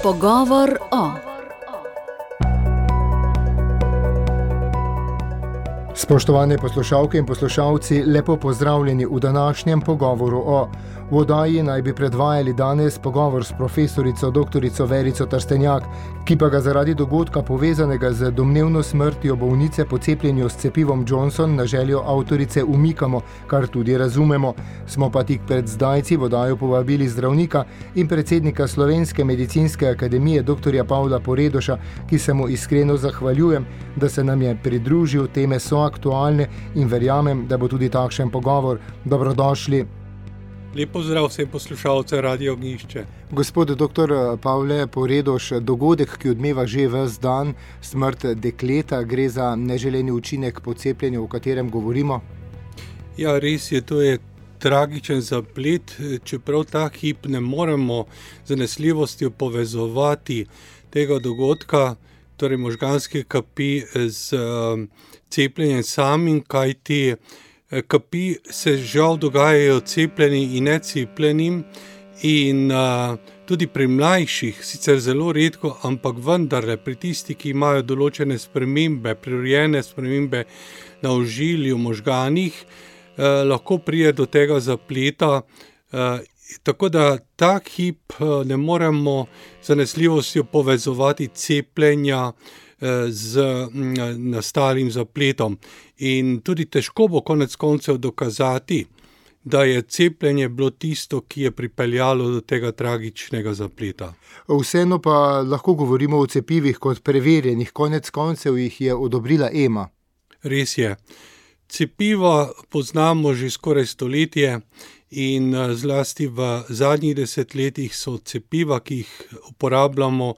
Pogovor o. Spoštovane poslušalke in poslušalci, lepo pozdravljeni v današnjem pogovoru o. V oddaji naj bi predvajali danes pogovor s profesorico doktorico Verico Trstenjak, ki pa ga zaradi dogodka povezanega z domnevno smrtjo bolnice po cepljenju s cepivom Johnson na željo avtorice umikamo, kar tudi razumemo. Smo pa tik pred zdajci v oddajo povabili zdravnika in predsednika Slovenske medicinske akademije dr. Pavla Poredoša, ki se mu iskreno zahvaljujem, da se nam je pridružil. Teme so aktualne in verjamem, da bo tudi takšen pogovor. Dobrodošli. Lep pozdrav vsem poslušalcem Radio Ognjišče. Gospod dr. Pavle Poredoš, dogodek, ki odmeva že ves dan, smrt dekleta, gre za neželeni učinek po cepljenju, o katerem govorimo? Ja, res je, to je tragičen zaplet, čeprav ta hip ne moremo z zanesljivostjo povezovati tega dogodka, torej možganske kapi z cepljenjem samim, kajti kapi se žal dogajajo cepljenim in necepljenim in tudi pri mlajših, sicer zelo redko, ampak vendarle pri tistih, ki imajo določene spremembe, prirojene spremembe na ožilju, možganih, lahko pride do tega zapleta. Tako da ta hip ne moremo z zanesljivostjo povezovati cepljenja z nastalim zapletom. In tudi težko bo konec koncev dokazati, da je cepljenje bilo tisto, ki je pripeljalo do tega tragičnega zapleta. Vseeno pa lahko govorimo o cepivih kot preverjenih, konec koncev jih je odobrila EMA. Res je. Cepiva poznamo že skoraj stoletje in zlasti v zadnjih desetletjih so cepiva, ki jih uporabljamo,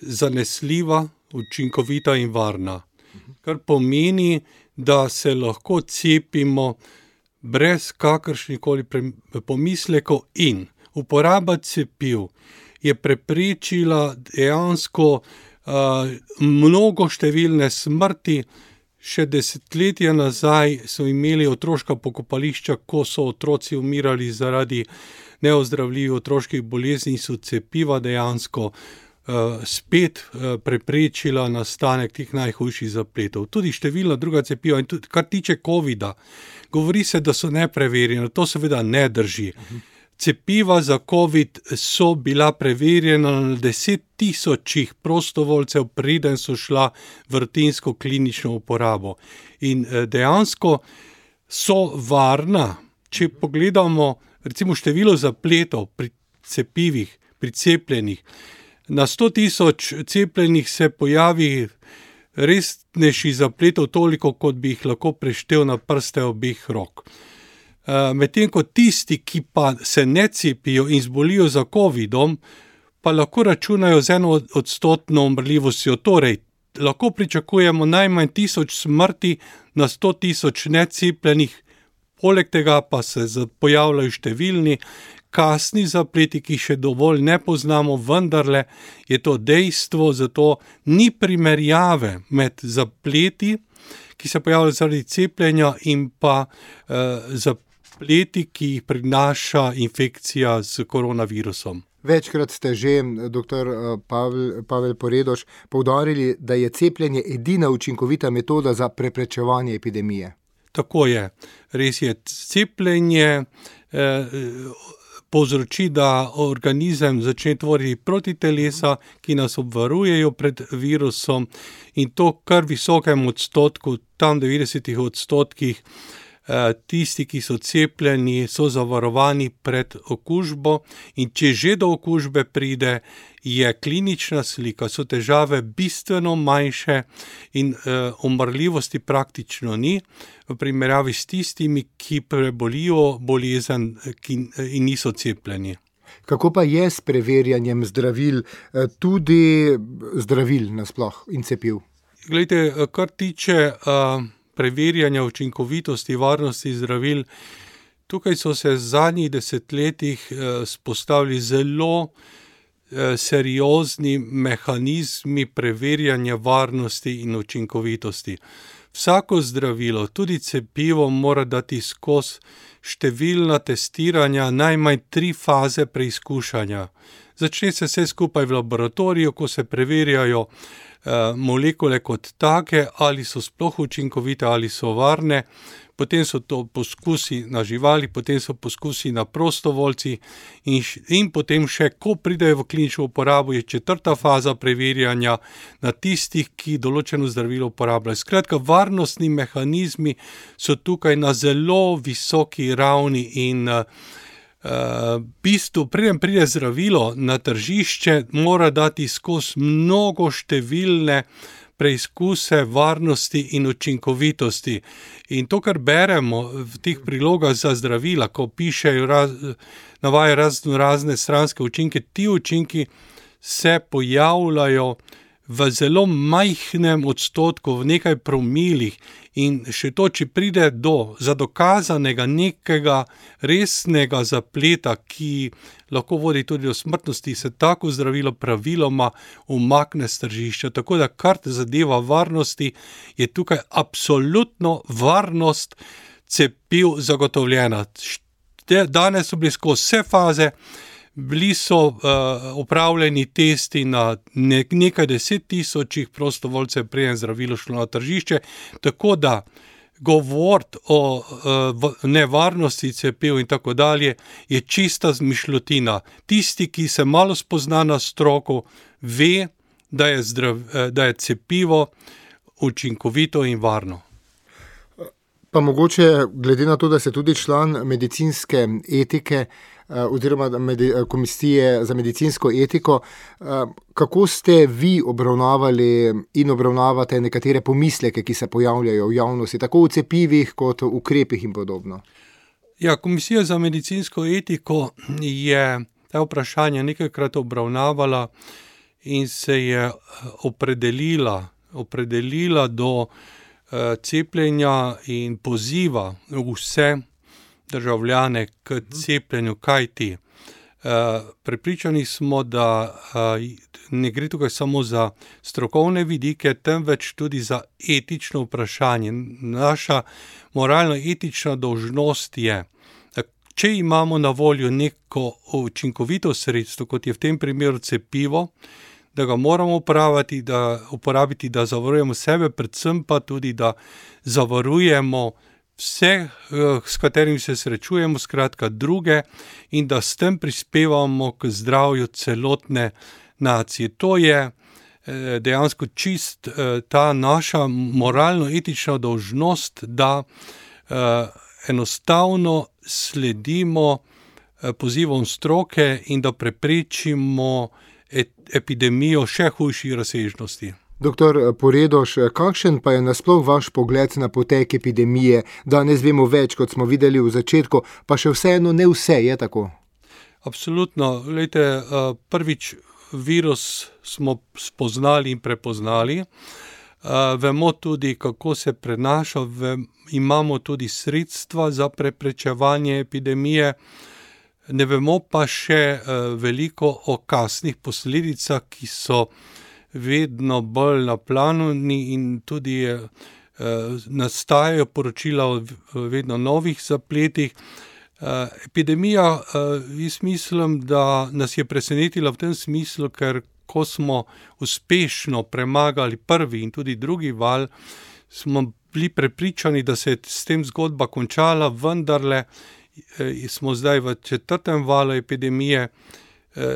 zanesljiva, učinkovita in varna. Kar pomeni, da se lahko cepimo brez kakršnihkoli pomislekov in uporaba cepiv je preprečila dejansko mnogo številne smrti. Še desetletja nazaj so imeli otroška pokopališča, ko so otroci umirali zaradi neozdravljivih otroških bolezni, so cepiva dejansko spet preprečila nastanek teh najhujših zapletov. Tudi številna druga cepiva, in tudi kar tiče covida, govori se, da so nepreverjena, to seveda ne drži. Cepiva za covid so bila preverjena na 10.000 prostovoljcev, preden so šla v rutinsko klinično uporabo. In dejansko so varna, če pogledamo recimo število zapletov pri cepivih, pri cepljenih. Na 100.000 cepljenih se pojavi resnejši zapletov toliko, kot bi jih lahko preštel na prste obeh rok. Medtem ko tisti, ki pa se ne cepijo in zbolijo za covidom, pa lahko računajo z 1% umrljivostjo. Torej, lahko pričakujemo najmanj 1000 smrti na 100.000 necepljenih, poleg tega pa se pojavljajo številni kasni zapleti, ki še dovolj ne poznamo, vendarle je to dejstvo, zato ni primerjave med zapleti, ki se pojavljajo zaradi cepljenja, in pa zapleti, ki jih prinaša infekcija s koronavirusom. Večkrat ste že, dr. Pavel Poredoš, poudarili, da je cepljenje edina učinkovita metoda za preprečevanje epidemije. Tako je. Res je. Cepljenje povzroči, da organizem začne tvoriti protitelesa, ki nas obvarujejo pred virusom, in to kar visokem odstotku, tam 90%, tisti, ki so cepljeni, so zavarovani pred okužbo, in če že do okužbe pride, je klinična slika, so težave bistveno manjše in umrljivosti praktično ni, v primerjavi s tistimi, ki prebolijo bolezen in niso cepljeni. Kako pa je s preverjanjem zdravil, tudi zdravil nasploh in cepiv? Glejte, kar tiče preverjanja učinkovitosti, varnosti zdravil, tukaj so se v zadnjih desetletjih spostavili zelo seriozni mehanizmi preverjanja varnosti in učinkovitosti. Vsako zdravilo, tudi cepivo, mora dati skozi številna testiranja, najmanj 3 faze preizkušanja. Začne se vse skupaj v laboratoriju, ko se preverjajo molekule kot take, ali so sploh učinkovite, ali so varne. Potem so to poskusi na živali, potem so poskusi na prostovoljci in potem še, ko pridejo v klinično uporabo, je 4. faza preverjanja na tistih, ki določeno zdravilo uporabljajo. Skratka, varnostni mehanizmi so tukaj na zelo visoki ravni in v bistvu, preden pride zdravilo na tržišče, mora dati skozi mnogo številne preizkuse varnosti in učinkovitosti. In to, kar beremo v teh prilogah za zdravila, ko pišejo, navajajo razne stranske učinke, ti učinki se pojavljajo v zelo majhnem odstotku, v nekaj promilih, in še to, če pride do dokazanega nekega resnega zapleta, ki lahko vodi tudi do smrtnosti, se tako zdravilo praviloma umakne s tržišča. Tako da, kar zadeva varnosti, je tukaj absolutno varnost cepiv zagotovljena. Danes so bili skozi vse faze, bili so opravljeni testi na nekaj 10,000 prostovoljcev, preden zdravilo šlo na tržišče, tako da govoriti o nevarnosti cepiv in tako dalje je čista zmišljotina. Tisti, ki se malo spozna na stroko, ve, da je cepivo učinkovito in varno. Pa mogoče, glede na to, da ste tudi član medicinske etike oziroma komisije za medicinsko etiko, kako ste vi obravnavali in obravnavate nekatere pomisleke, ki se pojavljajo v javnosti, tako v cepivih kot v ukrepih in podobno? Ja, komisija za medicinsko etiko je ta vprašanja nekajkrat obravnavala in se je opredelila do cepljenja in poziva vse državljane k cepljenju, kajti prepričani smo, da ne gre tukaj samo za strokovne vidike, temveč tudi za etično vprašanje. Naša moralno-etična dolžnost je, da če imamo na voljo neko učinkovito sredstvo, kot je v tem primeru cepivo, da ga moramo uporabiti, da zavarujemo sebe, predvsem pa tudi, da zavarujemo vse, s katerimi se srečujemo, skratka druge, in da s tem prispevamo k zdravju celotne nacije. To je dejansko čist ta naša moralno-etična dolžnost, da enostavno sledimo pozivom stroke in da preprečimo epidemijo še hujših razsežnosti. Doktor Poredoš, kakšen pa je nasploh vaš pogled na potek epidemije? Danes vemo več, kot smo videli v začetku, pa še vseeno ne vse, je tako? Absolutno. Glejte, prvič virus smo spoznali in prepoznali. Vemo tudi, kako se prenaša, imamo tudi sredstva za preprečevanje epidemije. Ne vemo pa še veliko o kasnih posledicah, ki so vedno bolj na planu in tudi nastajajo poročila o vedno novih zapletih. Epidemija, jaz mislim, da nas je presenetila v tem smislu, ker ko smo uspešno premagali prvi in tudi drugi val, smo bili prepričani, da se je s tem zgodba končala, vendarle smo zdaj v 4. valu epidemije,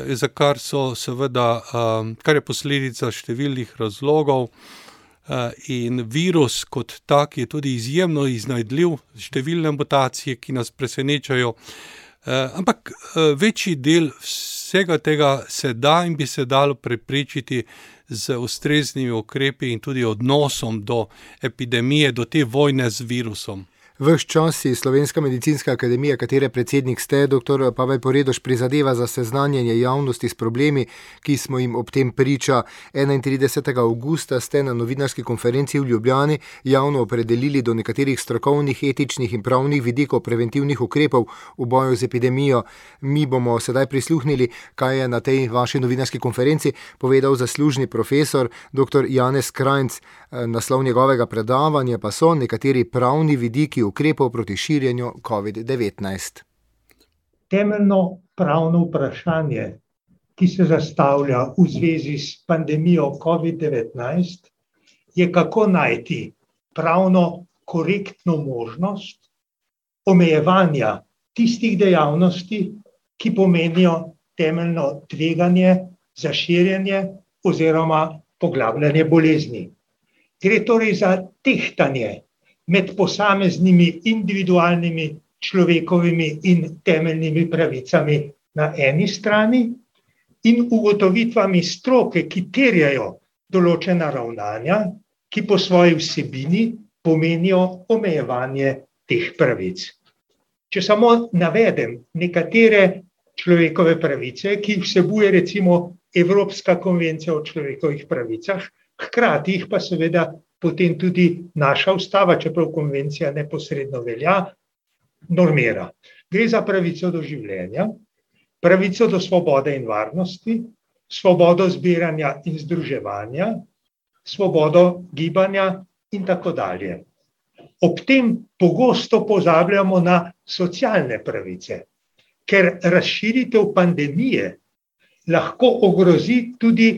za kar so seveda, kar je posledica številnih razlogov, in virus kot tak je tudi izjemno iznajdljiv, številne mutacije, ki nas presenečajo, ampak večji del vsega tega se da in bi se dalo preprečiti z ustreznimi ukrepi in tudi odnosom do epidemije, do te vojne z virusom. Ves čas si Slovenska medicinska akademija, katere predsednik ste, dr. Pavel Poredoš, prizadeva za seznanjanje javnosti s problemi, ki smo jim ob tem priča. 31. avgusta ste na novinarski konferenci v Ljubljani javno opredelili do nekaterih strokovnih, etičnih in pravnih vidikov preventivnih ukrepov v boju z epidemijo. Mi bomo sedaj prisluhnili, kaj je na tej vaši novinarski konferenci povedal zaslužni profesor dr. Janez Krajnc. Naslov njegovega predavanja pa so nekateri pravni vidiki ukrepov proti širjenju COVID-19. Temeljno pravno vprašanje ki se zastavlja v zvezi s pandemijo COVID-19, je, kako najti pravno korektno možnost omejevanja tistih dejavnosti, ki pomenijo temeljno tveganje za širjenje oziroma poglabljanje bolezni. Gre torej za tehtanje med posameznimi individualnimi človekovimi in temeljnimi pravicami na eni strani in ugotovitvami stroke, ki terjajo določena ravnanja, ki po svoji vsebini pomenijo omejevanje teh pravic. Če samo navedem nekatere človekove pravice, ki jih vsebuje recimo Evropska konvencija o človekovih pravicah, hkrati jih pa seveda potem tudi naša ustava, čeprav konvencija neposredno velja, normira. Gre za pravico do življenja, pravico do svobode in varnosti, svobodo zbiranja in združevanja, svobodo gibanja in tako dalje. Ob tem pogosto pozabljamo na socialne pravice, ker razširitev pandemije lahko ogrozi tudi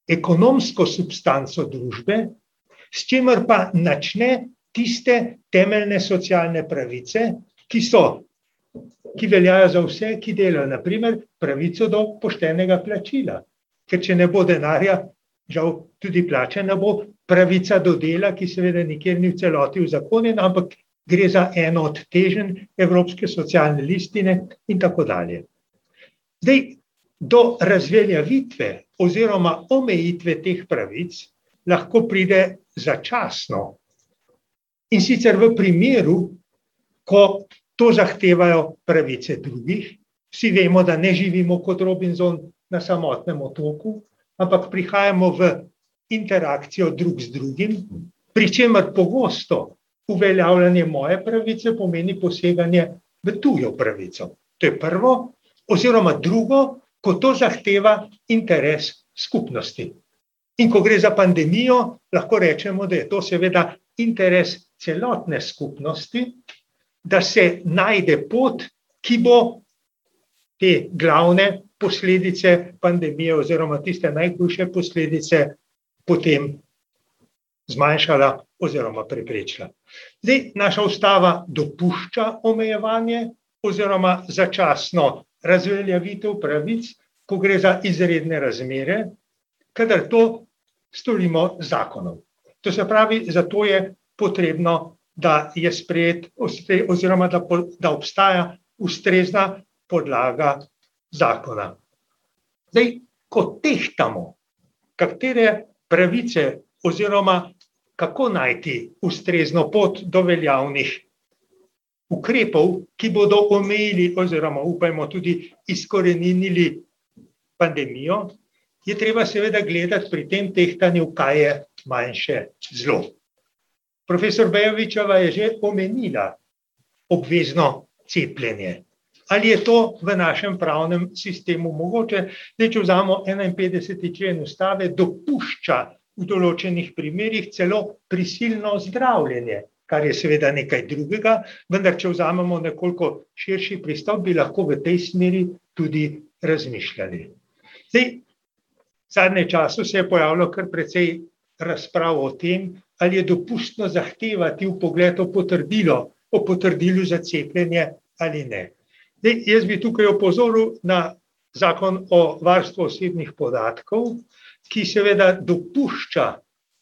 ekonomsko substanco družbe, s čimer pa načne tiste temeljne socialne pravice, ki veljajo za vse, ki delajo, na primer pravico do poštenega plačila. Ker če ne bo denarja, žal tudi plače ne bo, pravica do dela, ki seveda nikjer ni v celoti uzakonjena, ampak gre za eno od teženj Evropske socialne listine in tako dalje. Zdaj, do razveljavitve oziroma omejitve teh pravic lahko pride začasno. In sicer v primeru, ko to zahtevajo pravice drugih. Vsi vemo, da ne živimo kot Robinson na samotnem otoku, ampak prihajamo v interakcijo drug z drugim, pri čemer pogosto uveljavljanje moje pravice pomeni poseganje v tujo pravico. To je prvo, oziroma drugo, ko to zahteva interes skupnosti. In ko gre za pandemijo, lahko rečemo, da je to seveda interes celotne skupnosti, da se najde pot, ki bo te glavne posledice pandemije oziroma tiste najhujše posledice potem zmanjšala oziroma preprečila. Zdaj, naša ustava dopušča omejevanje oziroma začasno razveljavitev pravic, ko gre za izredne razmere, kadar to storimo z zakonom. To se pravi, zato je potrebno, da je sprejet oziroma da obstaja ustrezna podlaga zakona. Zdaj, ko tehtamo, katere pravice oziroma kako najti ustrezno pot do veljavnih ukrepov, ki bodo omejili oziroma upajmo tudi izkoreninili pandemijo, je treba seveda gledati pri tem tehtanju, kaj je manjše zlo. Profesor Bejovićeva je že omenila obvezno cepljenje. Ali je to v našem pravnem sistemu mogoče? Zdaj, če vzamo 51. člen ustave, dopušča v določenih primerih celo prisilno zdravljenje, kar je seveda nekaj drugega, vendar če vzamemo nekoliko širši pristop, bi lahko v tej smeri tudi razmišljali. Zdaj, v zadnjem času se je pojavilo kar precej razprav o tem, ali je dopustno zahtevati vpogled o potrdilu za cepljenje ali ne. Zdaj, jaz bi tukaj opozoril na zakon o varstvu osebnih podatkov, ki seveda dopušča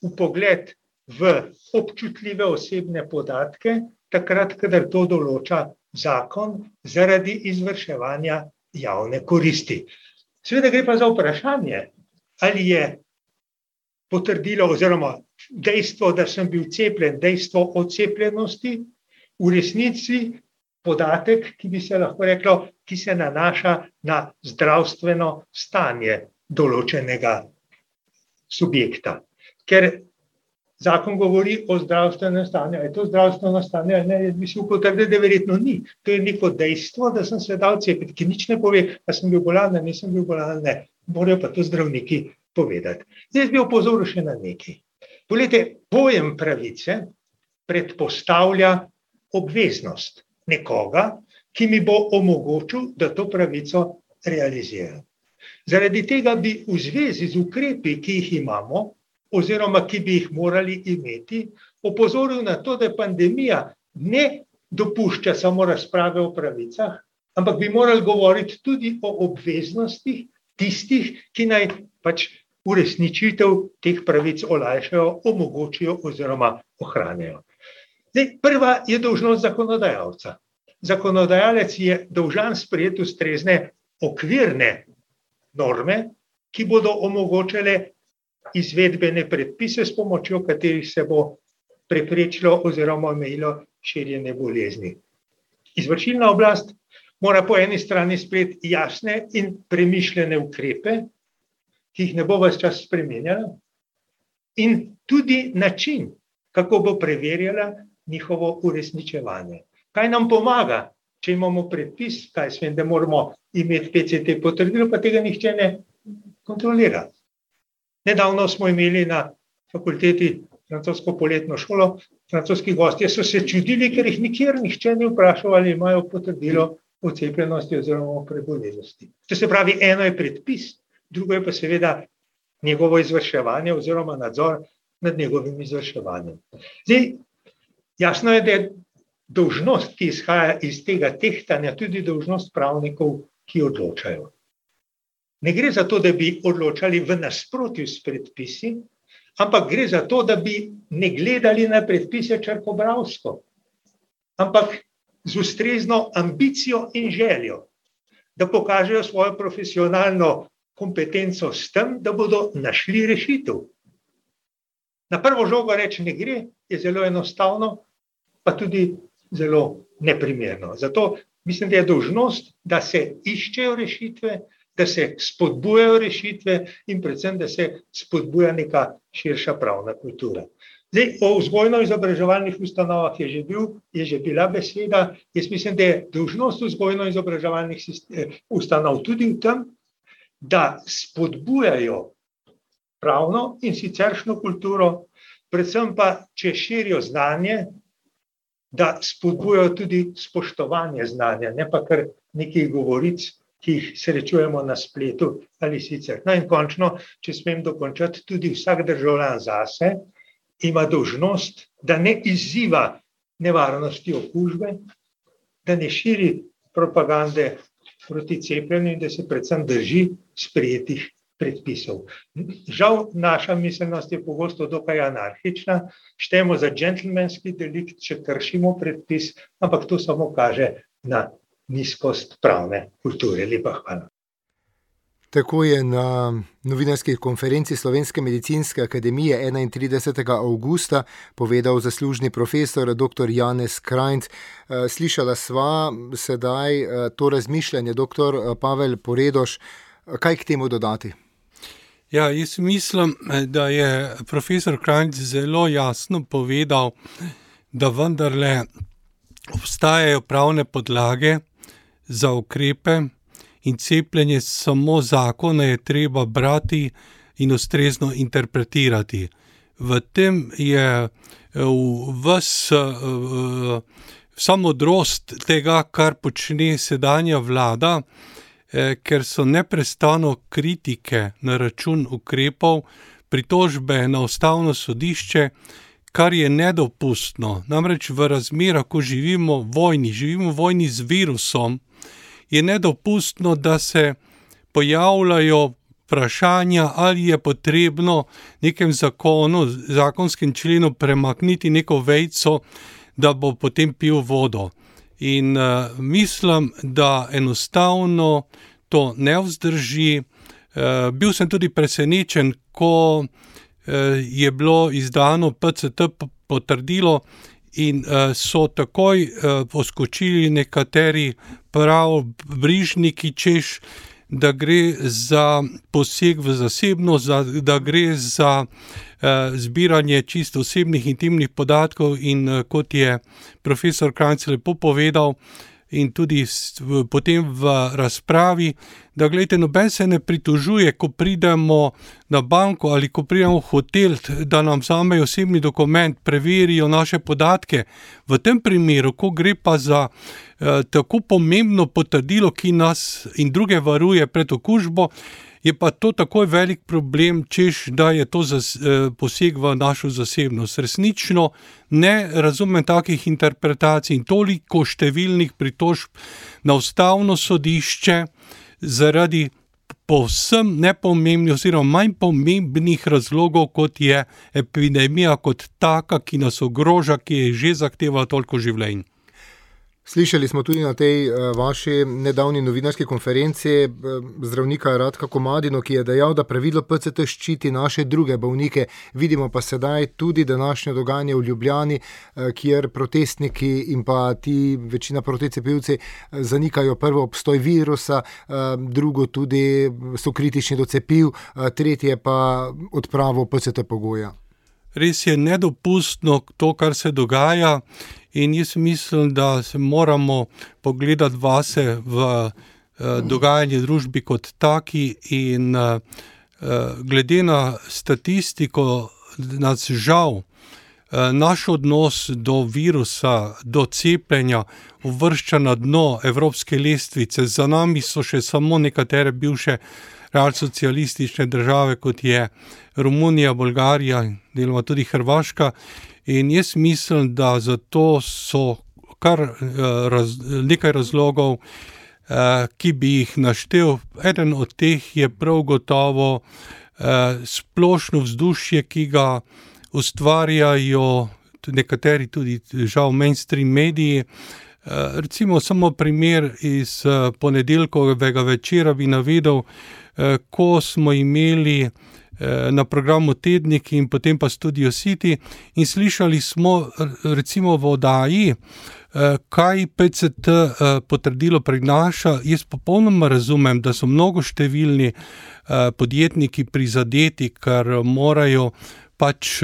vpogled v občutljive osebne podatke, takrat, kadar to določa zakon zaradi izvrševanja javne koristi. Seveda gre pa za vprašanje, ali je potrdilo oziroma dejstvo, da sem bil cepljen, dejstvo o cepljenosti, v resnici podatek, ki bi se lahko reklo, ki se nanaša na zdravstveno stanje določenega subjekta. Ker zakon govori o zdravstvenem stanju. Je to zdravstveno stanje ali ne? Jaz bi si potrdil, da verjetno ni. To je neko dejstvo, da sem se dal cepiti, ki nič ne pove, da sem bil bolan, da nisem bil bolan, ne. Morajo pa to zdravniki povedati. Zdaj bi opozoril še na nekaj. Poglejte, pojem pravice predpostavlja obveznost nekoga, ki mi bo omogočil, da to pravico realiziram. Zaradi tega bi v zvezi z ukrepi, ki jih imamo, oziroma ki bi jih morali imeti, opozoril na to, da pandemija ne dopušča samo razprave o pravicah, ampak bi morali govoriti tudi o obveznostih tistih, ki naj pač uresničitev teh pravic olajšajo, omogočijo oziroma ohranjajo. Zdaj, prva je dolžnost zakonodajalca. Zakonodajalec je dolžan sprejeti ustrezne okvirne norme, ki bodo omogočale izvedbene predpise, s pomočjo katerih se bo preprečilo oziroma omejilo širjenje bolezni. Izvršilna oblast mora po eni strani sprejeti jasne in premišljene ukrepe, ki jih ne bo ves čas spremenjala, in tudi način, kako bo preverjala njihovo uresničevanje. Kaj nam pomaga, če imamo predpis, kaj svem, da moramo imeti PCT potrdilo, pa tega nihče ne kontrolira. Nedavno smo imeli na fakulteti francosko poletno šolo, francoski gostje so se čudili, ker jih nikjer nihče ni vprašal, ali imajo potrdilo o cepljenosti oziroma o prebolelosti. To se pravi, eno je predpis, drugo je pa seveda njegovo izvrševanje oziroma nadzor nad njegovim izvrševanjem. Zdaj, jasno je, da je dolžnost, ki izhaja iz tega tehtanja, tudi dolžnost pravnikov, ki odločajo. Ne gre za to, da bi odločali v nasprotju s predpisi, ampak gre za to, da bi ne gledali na predpise črkobralsko, ampak z ustrezno ambicijo in željo, da pokažejo svojo profesionalno kompetenco s tem, da bodo našli rešitev. Na prvo žogo reči ne gre, je zelo enostavno, pa tudi zelo neprimerno. Zato mislim, da je dolžnost, da se iščejo rešitve, da se spodbujajo rešitve in predvsem, da se spodbuja neka širša pravna kultura. Zdaj, o vzgojno-izobraževalnih ustanovah je že bila beseda. Jaz mislim, da je dolžnost vzgojno-izobraževalnih ustanov tudi v tem, da spodbujajo pravno in siceršnjo kulturo, predvsem pa, če širijo znanje, da spodbujajo tudi spoštovanje znanja, ne pa kar nekih govoric, ki jih srečujemo na spletu ali sicer. No in končno, če smem dokončati, tudi vsak državljan zase ima dolžnost, da ne izziva nevarnosti okužbe, da ne širi propagande proti cepljenju in da se predvsem drži sprejetih predpisov. Žal, naša miselnost je pogosto dokaj anarhična, štejemo za džentelmenski delikt, če kršimo predpis, ampak to samo kaže na nizkost pravne kulture. Lepa hvala. Tako je na novinarski konferenci Slovenske medicinske akademije 31. avgusta povedal zaslužni profesor dr. Janez Krajnc. Slišala sva sedaj to razmišljanje, dr. Pavel Poredoš. Kaj k temu dodati? Ja, jaz mislim, da je profesor Krajnc zelo jasno povedal, da vendarle obstajajo pravne podlage za ukrepe in cepljenje, samo zakone je treba brati in ustrezno interpretirati. V tem je vsa modrost tega, kar počne sedanja vlada, ker so neprestano kritike na račun ukrepov, pritožbe na ustavno sodišče, kar je nedopustno. Namreč v razmerah, ko živimo v vojni z virusom, je nedopustno, da se pojavljajo vprašanja, ali je potrebno nekem zakonskem členu premakniti neko vejico, da bo potem pil vodo. In mislim, da enostavno to ne vzdrži. Bil sem tudi presenečen, ko je bilo izdano PCT potrdilo in so takoj poskočili nekateri brižniki, češ, da gre za poseg v zasebnost, da gre za zbiranje čisto osebnih intimnih podatkov in kot je profesor Krajnc lepo povedal, in tudi potem v razpravi, da gledajte, noben se ne pritožuje, ko pridemo na banko ali ko pridemo v hotel, da nam vzamejo osebni dokument, preverijo naše podatke. V tem primeru, ko gre pa za tako pomembno potrdilo, ki nas in druge varuje pred okužbo, je pa to takoj velik problem, češ, da je to poseg v našo zasebnost. Resnično ne razumem takih interpretacij in toliko številnih pritožb na Ustavno sodišče zaradi povsem nepomembnih oziroma manj pomembnih razlogov, kot je epidemija kot taka, ki nas ogroža, ki je že zahtevala toliko življenj. Slišali smo tudi na tej vaši nedavni novinarski konferenci zdravnika Radka Komadino, ki je dejal, da pravilo PCT ščiti naše druge bolnike. Vidimo pa sedaj tudi današnje dogajanje v Ljubljani, kjer protestniki in pa ti večina proticepivci zanikajo prvo obstoj virusa, drugo tudi so kritični do cepiv, tretje pa odpravo PCT pogoja. Res je nedopustno to, kar se dogaja. In jaz mislim, da se moramo pogledati vase v dogajanje družbi kot taki in glede na statistiko nas žal naš odnos do virusa, do cepljenja uvršča na dno evropske lestvice. Za nami so še samo nekatere bivše realsocialistične države, kot je Romunija, Bolgarija, deloma tudi Hrvaška. In jaz mislim, da zato so kar nekaj razlogov, ki bi jih naštel. Eden od teh je prav gotovo splošno vzdušje, ki ga ustvarjajo nekateri tudi žal mainstream mediji. Recimo samo primer iz ponedeljkovega večera bi navedel, ko smo imeli na programu Tednik in potem pa Studio City in slišali smo recimo v oddaji, kaj PCT potrdilo prinaša. Jaz popolnoma razumem, da so mnogo številni podjetniki prizadeti, ker morajo pač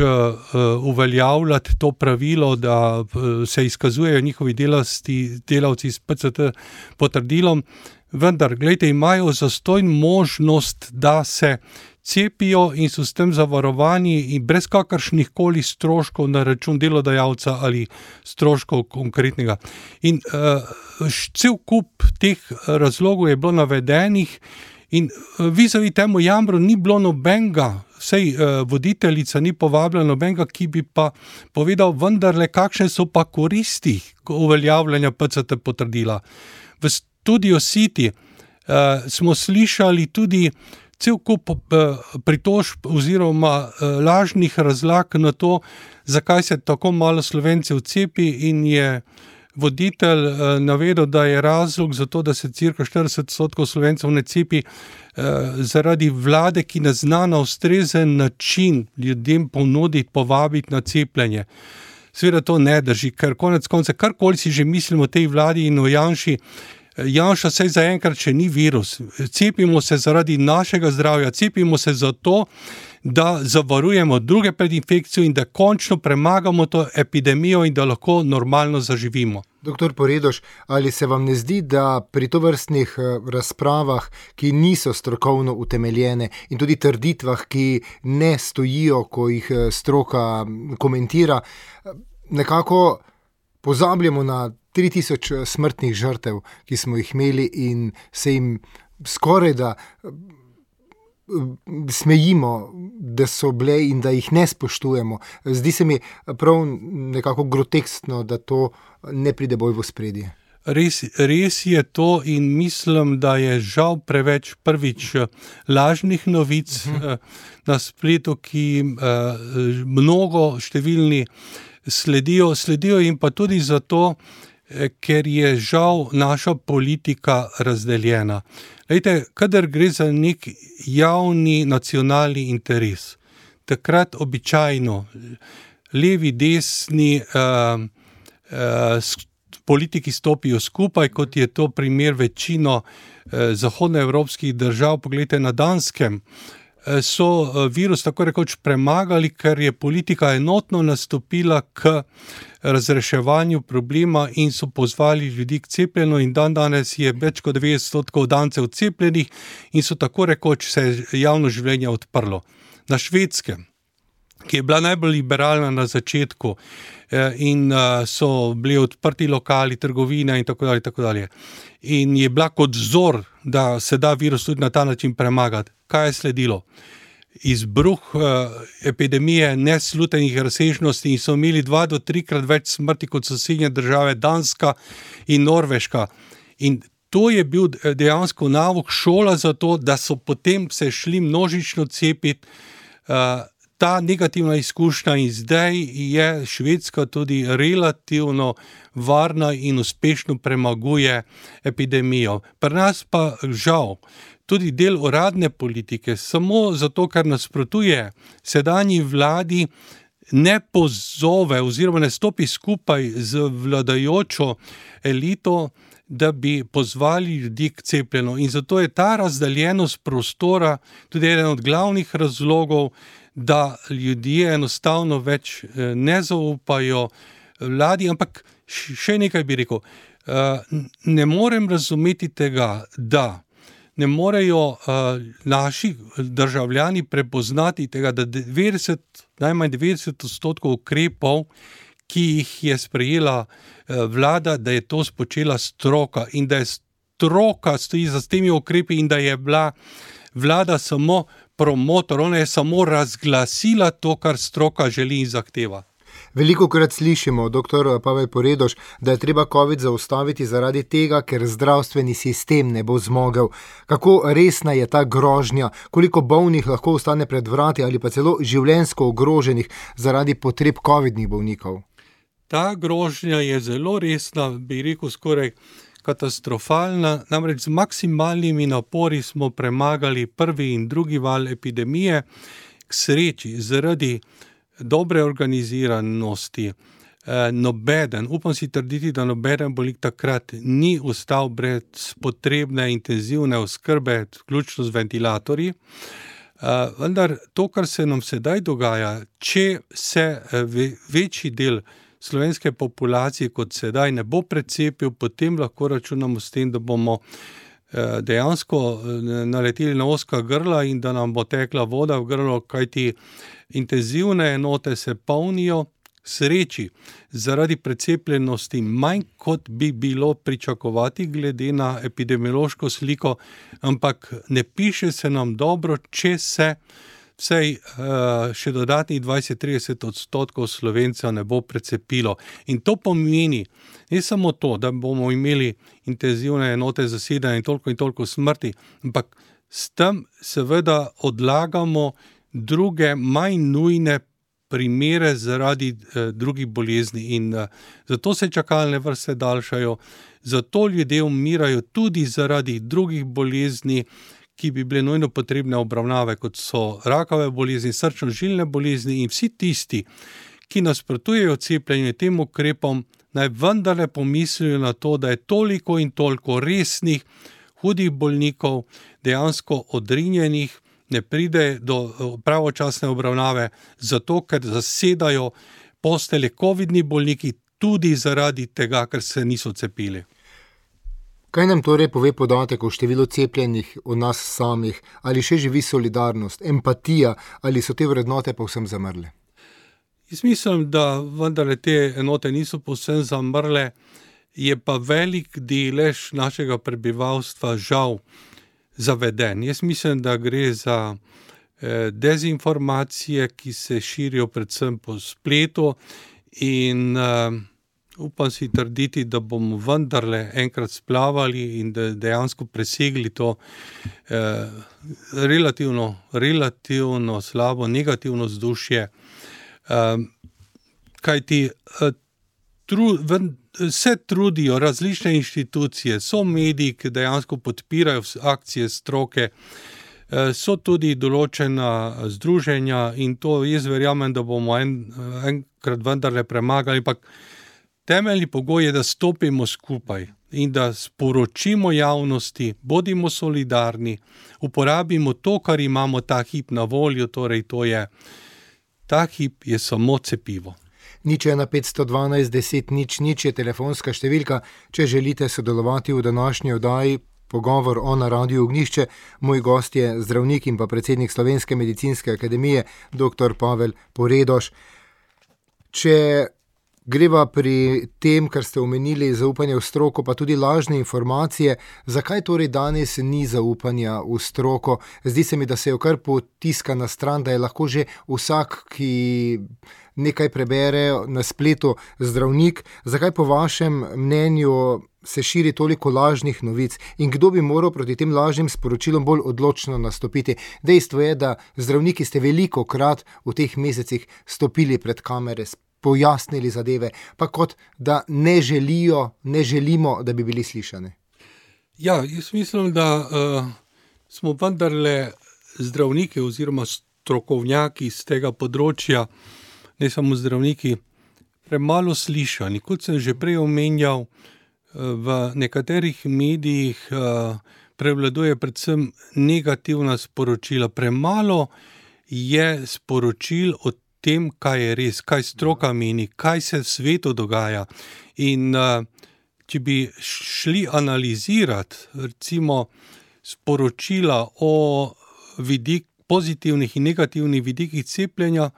uveljavljati to pravilo, da se izkazujejo njihovi delavci s PCT potrdilom, vendar, gledajte, imajo zastonj možnost, da se cepijo in so s tem zavarovani in brez kakršnih koli stroškov na račun delodajalca ali stroškov konkretnega. In cel kup teh razlogov je bilo navedenih in vizavi temu jamru ni bilo nobenega, sej voditeljica ni povabila nobenega, ki bi pa povedal vendarle, kakšne so pa koristi uveljavljanja PCT potrdila. V Studio City smo slišali tudi cel kup pritožb oziroma lažnih razlag na to, zakaj se tako malo Slovencev cepi, in je voditelj navedel, da je razlog za to, da se cirka 40% Slovencev ne cepi, zaradi vlade, ki ne zna na ustrezen način ljudem ponuditi, povabiti na cepljenje. Seveda to ne drži, ker konec konca, karkoli si že mislimo o tej vladi in o Janši, Janša sej zaenkrat še ni virus. Cepimo se zaradi našega zdravja, cepimo se zato, da zavarujemo druge pred infekcijo in da končno premagamo to epidemijo in da lahko normalno zaživimo. Doktor Poredoš, ali se vam ne zdi, da pri tovrstnih razpravah, ki niso strokovno utemeljene in tudi trditvah, ki ne stojijo, ko jih stroka komentira, nekako pozabljamo na 3000 smrtnih žrtev, ki smo jih imeli, in se jim skoraj da smejimo, da so bile in da jih ne spoštujemo. Zdi se mi prav nekako groteskno, da to ne pride bolj v ospredje. Res je to in mislim, da je žal preveč prvič lažnih novic na spletu, ki mnogo številni sledijo in pa tudi zato, ker je žal naša politika razdeljena. Lejte, kadar gre za nek javni nacionalni interes, takrat običajno levi, desni politiki stopijo skupaj, kot je to primer večino zahodnoevropskih držav. Poglejte, na Danskem so virus tako rekoč premagali, ker je politika enotno nastopila k razreševanju problema in so pozvali ljudi k cepljenju in danes je več kot 90% dancev cepljenih in so tako rekoč se javno življenje odprlo. Na Švedskem, ki je bila najbolj liberalna na začetku in so bili odprti lokali, trgovine in tako dalje. In je bila kot vzor, da se da virus tudi na ta način premagati. Kaj je sledilo? Izbruh epidemije neslutenih razsežnosti in so imeli 2 do 3-krat več smrti kot sosednje države Danska in Norveška. In to je bil dejansko nauk, šola za to, da so potem se šli množično cepiti. Ta negativna izkušnja in zdaj je Švedska tudi relativno varna in uspešno premaguje epidemijo. Pri nas pa žal tudi del uradne politike, samo zato, ker nasprotuje sedanji vladi, ne pozove oziroma ne stopi skupaj z vladajočo elito, da bi pozvali ljudi k cepljenju. In zato je ta razdeljenost prostora tudi eden od glavnih razlogov, da ljudje enostavno več ne zaupajo vladi, ampak še nekaj bi rekel. Ne morem razumeti tega, da ne morejo naši državljani prepoznati tega, da najmanj 90% ukrepov, ki jih je sprejela vlada, da je to spočela stroka in da je stroka stoji za temi ukrepi in da je bila vlada samo promotor, ona je samo razglasila to, kar stroka želi in zahteva. Velikokrat slišimo, dr. Pavel Poredoš, da je treba COVID zaustaviti zaradi tega, ker zdravstveni sistem ne bo zmogel. Kako resna je ta grožnja, koliko bolnih lahko ostane pred vrati ali pa celo življenjsko ogroženih zaradi potreb covidnih bolnikov? Ta grožnja je zelo resna, bi rekel skoraj katastrofalna, namreč z maksimalnimi napori smo premagali prvi in drugi val epidemije. K sreči, zaradi dobre organiziranosti, upam si trditi, da nobeden bolnik takrat ni ostal brez potrebne intenzivne oskrbe, vključno z ventilatorji. Vendar to, kar se nam sedaj dogaja, če se večji del slovenske populacije kot sedaj ne bo precepil, potem lahko računamo s tem, da bomo dejansko naleteli na ozka grla in da nam bo tekla voda v grlo, kajti intenzivne enote se polnijo. Sreči, zaradi precepljenosti manj kot bi bilo pričakovati glede na epidemiološko sliko, ampak ne piše se nam dobro, če se vsaj še dodatnih 20-30% Slovencev ne bo precepilo. In to pomeni ne samo to, da bomo imeli intenzivne enote zasedanja in toliko smrti, ampak s tem seveda odlagamo druge, manj nujne primere zaradi drugih bolezni in zato se čakalne vrste daljšajo, zato ljudje umirajo tudi zaradi drugih bolezni, ki bi bile nujno potrebne obravnave, kot so rakave bolezni, srčno-žilne bolezni in vsi tisti, ki nasprotujejo cepljenju tem ukrepom, naj vendarle pomislijo na to, da je toliko in toliko resnih, hudih bolnikov dejansko odrinjenih, ne pride do pravočasne obravnave, zato ker zasedajo postelje covidni bolniki tudi zaradi tega, ker se niso cepili. Kaj nam torej pove podatek o številu cepljenih od nas samih? Ali še živi solidarnost, empatija, ali so te vrednote povsem zamrle? Jaz mislim, da vendarle te enote niso povsem zamrle, je pa velik delež našega prebivalstva žal zaveden. Jaz mislim, da gre za dezinformacije, ki se širijo predvsem po spletu in upam si trditi, da bomo vendarle enkrat splavali in da dejansko presegli to relativno slabo, negativno vzdušje. Kajti se trudijo različne inštitucije, so mediji, ki dejansko podpirajo akcije stroke, so tudi določena združenja in to jaz verjamem, da bomo enkrat vendarle premagali, ampak temeljni pogoj je, da stopimo skupaj in da sporočimo javnosti, bodimo solidarni, uporabimo to, kar imamo ta hip na voljo, torej ta hip je samo cepivo. 01 512 10 00 je telefonska številka, če želite sodelovati v današnji oddaji Pogovor o na Radiu Ognjišče. Moj gost je zdravnik in pa predsednik Slovenske medicinske akademije, dr. Pavel Poredoš. Če greva pri tem, kar ste omenili, zaupanje v stroko, pa tudi lažne informacije, zakaj torej danes ni zaupanja v stroko? Zdi se mi, da se jo kar potiska na stran, da je lahko že vsak, ki nekaj prebere na spletu, zdravnik. Zakaj po vašem mnenju se širi toliko lažnih novic in kdo bi moral proti tem lažnim sporočilom bolj odločno nastopiti? Dejstvo je, da zdravniki ste velikokrat v teh mesecih stopili pred kamere, pojasnili zadeve, pa kot da ne želimo, da bi bili slišani. Ja, jaz mislim, da smo vendarle zdravniki oziroma strokovnjaki z tega področja, ne samo zdravniki, premalo slišani. Kot sem že prej omenjal, v nekaterih medijih prevladuje predvsem negativna sporočila. Premalo je sporočil o tem, kaj je res, kaj stroka meni, kaj se v svetu dogaja. In če bi šli analizirati, recimo, sporočila o pozitivnih in negativnih vidikih cepljenja,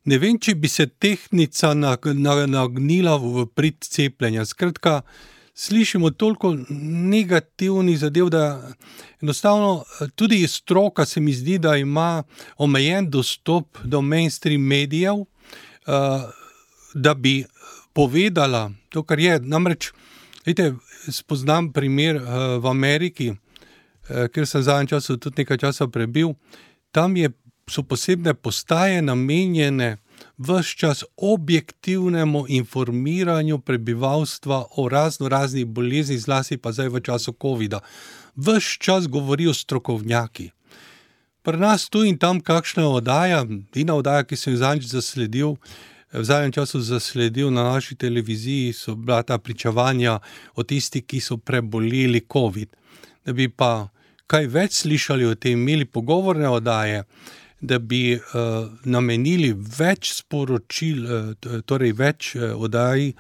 ne vem, če bi se tehtnica nagnila v prid cepljenja. Skratka, slišimo toliko negativnih zadev, da enostavno tudi stroka se mi zdi, da ima omejen dostop do mainstream medijev, da bi povedala to, kar je. Namreč, spoznam primer v Ameriki, kjer sem zadnjem času tudi nekaj časa prebil. Tam so posebne postaje namenjene ves čas objektivnemu informiranju prebivalstva o raznih boleznih, zlasti pa zdaj v času covida. Ves čas govorijo strokovnjaki. Pri nas tu in tam kakšna oddaja, ki sem jo v zadnjem času zasledil na naši televiziji, so bila ta pričevanja o tistih, ki so preboleli covid. Da bi pa kaj več slišali o tem, imeli pogovorne oddaje, da bi namenili več sporočil, torej več oddaj,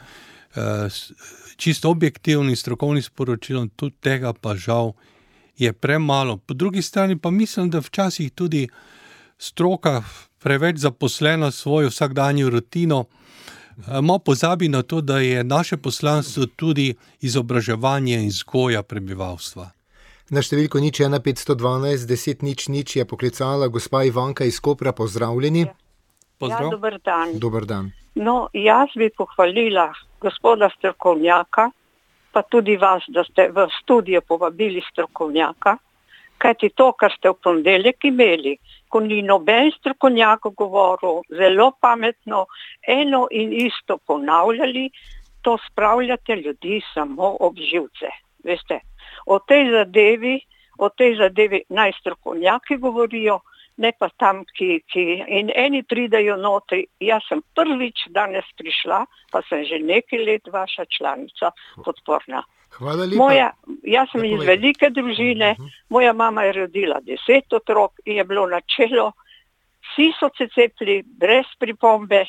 čisto objektivnim strokovnim sporočilom, tudi tega pa žal je premalo. Po drugi strani pa mislim, da včasih tudi stroka preveč zaposlena svojo vsakdanjo rutino, malo pozabi na to, da je naše poslanstvo tudi izobraževanje in vzgoja prebivalstva. Na številko 01 512 10 00 je poklicala gospa Ivanka iz Kopra. Pozdravljeni. Pozdrav. Ja, dober dan. Dober dan. No, jaz bi pohvalila gospoda strokovnjaka, pa tudi vas, da ste v studio povabili strokovnjaka, kajti to, kar ste v ponedeljek imeli, ko ni noben strokovnjak govoril, zelo pametno, eno in isto ponavljali, to spravljate ljudi samo ob živce. Veste, o tej zadevi naj strokovnjaki govorijo, ne pa tam, in eni pridajo notri. Jaz sem prvič danes prišla, pa sem že nekaj let vaša članica podporna. Hvala lepa. Jaz sem iz velike družine, moja mama je rodila 10 otrok in je bilo načelo, vsi so se cepili brez pripombe,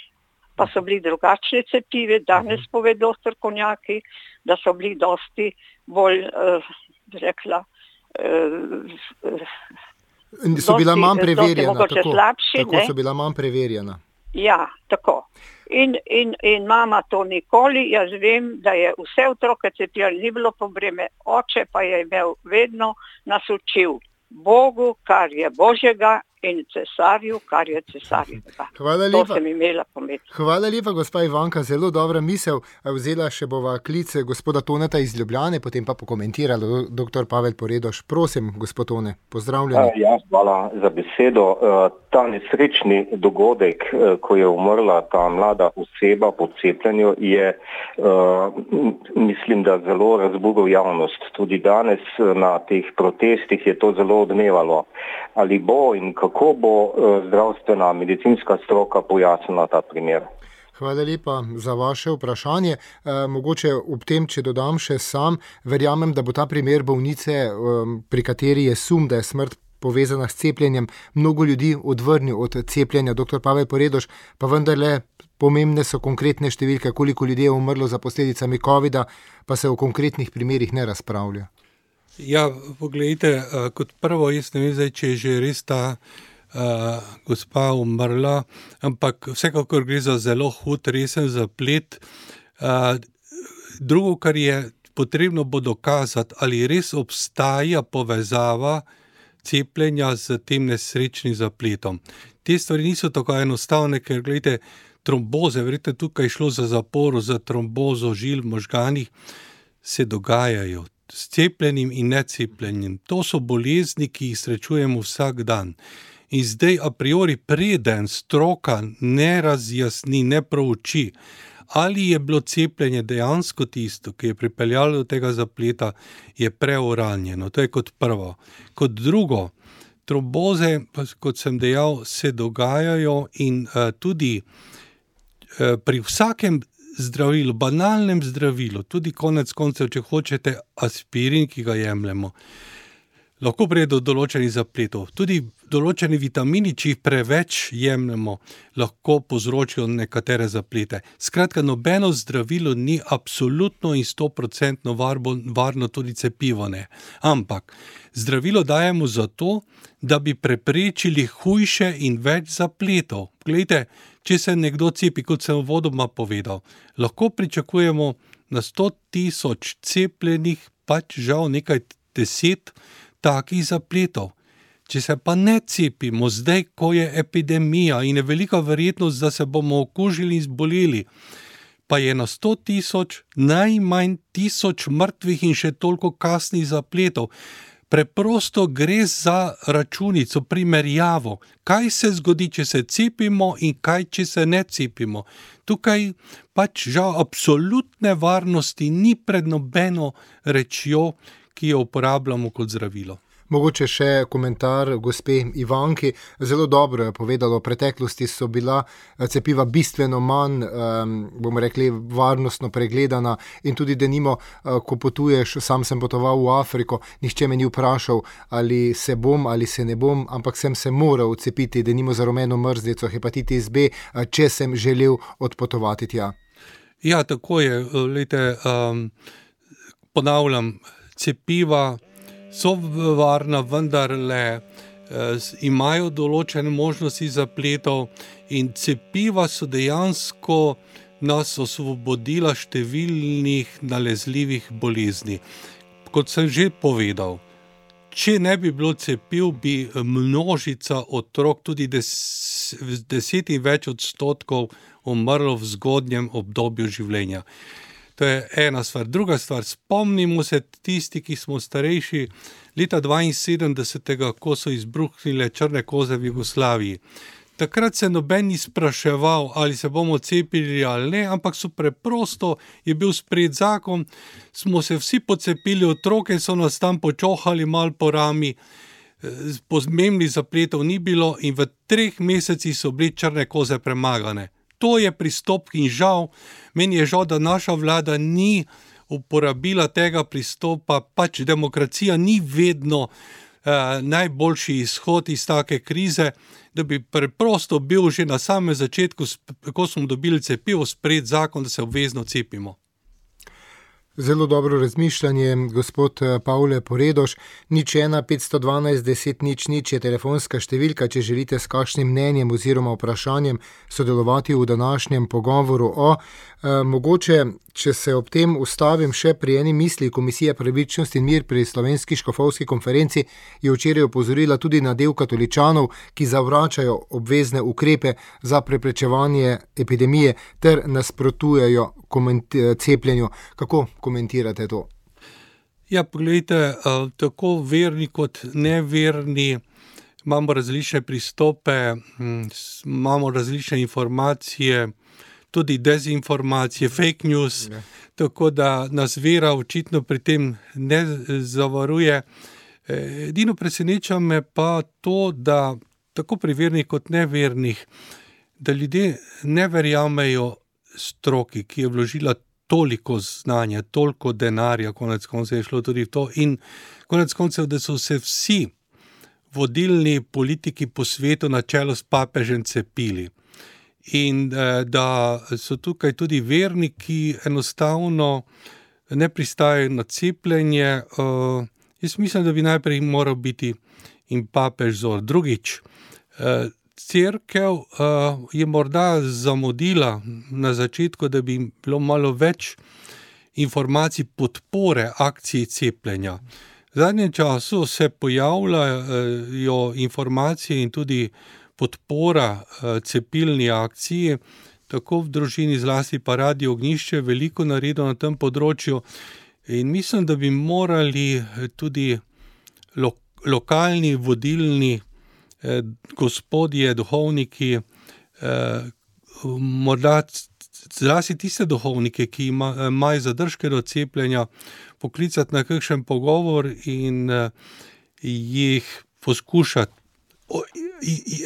pa so bili drugačne cepive, danes povedo strokovnjaki, da so bili dosti bolj, so bila manj preverjena, slabši, tako so bila manj preverjena. Ja, tako. In mama to nikoli, jaz vem, da je vse otroke cepila, ni bilo probleme, oče pa je imel vedno nas učil Bogu, kar je Božjega, in cesarju, kar je cesarjevega. Hvala lepa. To sem imela pametno. Hvala lepa, gospa Ivanka, zelo dobra misel. Vzela še bova klic gospoda Toneta iz Ljubljane, potem pa pokomentirala dr. Pavel Poredoš. Prosim, gospod Tone, pozdravljeni. Ja, hvala za besedo. Ta nesrečni dogodek, ko je umrla ta mlada oseba po cepljenju, je, mislim, da zelo razburil javnost. Tudi danes na teh protestih je to zelo odmevalo. Ali bo in kako bo zdravstvena medicinska stroka pojasnila ta primer? Hvala lepa za vaše vprašanje. Mogoče ob tem, če dodam še sam, verjamem, da bo ta primer bolnice, pri kateri je sum, da je smrt povezana s cepljenjem, mnogo ljudi odvrnil od cepljenja. Dr. Pavel Poredoš, pa vendarle pomembne so konkretne številke, koliko ljudi je umrlo za posledicami covida, pa se o konkretnih primerih ne razpravlja. Ja, poglejte, kot prvo, jaz ne vem zdaj, če je že res ta gospa umrla, ampak vsekakor gre za zelo hud, resen zaplet. Drugo, kar je potrebno bo dokazati, ali res obstaja povezava cepljenja z tem nesrečnim zapletom. Te stvari niso tako enostavne, ker gledajte, tromboze, verjete, tukaj šlo za zaporo, za trombozo žil v možganih, se dogajajo s cepljenim in necepljenim. To so bolezni, ki jih srečujemo vsak dan. In zdaj a priori preden stroka ne razjasni, ne prouči, ali je bilo cepljenje dejansko tisto, ki je pripeljalo do tega zapleta, je preuranjeno. To je kot prvo. Kot drugo, tromboze, kot sem dejal, se dogajajo in tudi pri vsakem zdravilu, banalnem zdravilu, tudi konec koncev, če hočete aspirin, ki ga jemljemo, lahko pride do določenih zapletov. Tudi določeni vitamini, če jih preveč jemljemo, lahko povzročijo nekatere zaplete. Skratka, nobeno zdravilo ni absolutno in 100% varno, tudi cepivo ne. Ampak zdravilo dajemo zato, da bi preprečili hujše in več zapletov. Glejte, če se nekdo cepi, kot sem uvodoma povedal, lahko pričakujemo na 100,000 cepljenih, pač žal nekaj 10 takih zapletov. Če se pa ne cepimo zdaj, ko je epidemija in je velika verjetnost, da se bomo okužili in zboleli, pa je na 100,000 najmanj 1000 mrtvih in še toliko kasnih zapletov. Preprosto gre za računico, primerjavo. Kaj se zgodi, če se cepimo in kaj, če se ne cepimo? Tukaj pač žal absolutne varnosti ni pred nobeno rečjo, ki jo uporabljamo kot zdravilo. Mogoče še komentar gospe Ivanki. Zelo dobro je povedala, v preteklosti so bila cepiva bistveno manj, bomo rekli, varnostno pregledana in tudi denimo, ko potuješ, sam sem potoval v Afriko, nihče me ni vprašal, ali se bom ali se ne bom, ampak sem se moral cepiti, denimo za rumeno mrzlico, hepatitis B, če sem želel odpotovati tja. Ja, tako je. Lejte, ponavljam, cepiva so varna, vendarle imajo določene možnosti zapletov in cepiva so dejansko nas osvobodila številnih nalezljivih bolezni. Kot sem že povedal, če ne bi bilo cepiv, bi množica otrok, tudi 10 in več odstotkov, umrlo v zgodnjem obdobju življenja. To je ena stvar. Druga stvar, spomnimo se tisti, ki smo starejši, leta 1972, ko so izbruhnile črne koze v Jugoslaviji. Takrat se noben ni spraševal, ali se bomo cepili ali ne, ampak so preprosto, je bil sprejet zakon, smo se vsi pocepili, otroke so nas tam počohali mal po rami, pomembnih zapletov ni bilo in v 3 mesecih so bili črne koze premagane. To je pristop in žal, meni je žal, da naša vlada ni uporabila tega pristopa, pač demokracija ni vedno najboljši izhod iz take krize, da bi preprosto bil že na samem začetku, ko smo dobili cepivo, sprejet zakon, da se obvezno cepimo. Zelo dobro razmišljanje, gospod Pavle Poredoš. 01 512 10 00 je telefonska številka, če želite s kakšnim mnenjem oziroma vprašanjem sodelovati v današnjem pogovoru o. Mogoče, če se ob tem ustavim še pri eni misli, Komisija pravičnost in mir pri Slovenski škofovski konferenci je včeraj opozorila tudi na del katoličanov, ki zavračajo obvezne ukrepe za preprečevanje epidemije ter nasprotujejo cepljenju. Kako komentirate to? Ja, pogledajte, tako verni kot neverni imamo različne pristope, imamo različne informacije, tudi dezinformacije, fake news, tako da nas vera očitno pri tem ne zavaruje. Edino preseneča me pa to, da tako pri vernih kot nevernih, da ljudje ne verjamejo stroki, ki je vložila toliko znanja, toliko denarja, konec koncev je šlo tudi v to in konec koncev, da so se vsi vodilni politiki po svetu na čelu s papežem cepili. In da so tukaj tudi verniki enostavno ne pristajajo na cepljenje. Jaz mislim, da bi najprej moral biti in papež vzor. Drugič, cerkev je morda zamudila na začetku, da bi bilo malo več informacij podpore akciji cepljenja. V zadnjem času se pojavljajo informacije in tudi podpora cepilni akciji, tako v družini, zlasti pa Radio Ognjišče, veliko naredilo na tem področju in mislim, da bi morali tudi lokalni, vodilni gospodje, duhovniki, morda zlasti tiste duhovnike, ki imajo zadržke do cepljenja, poklicati na kakšen pogovor in jih poskušati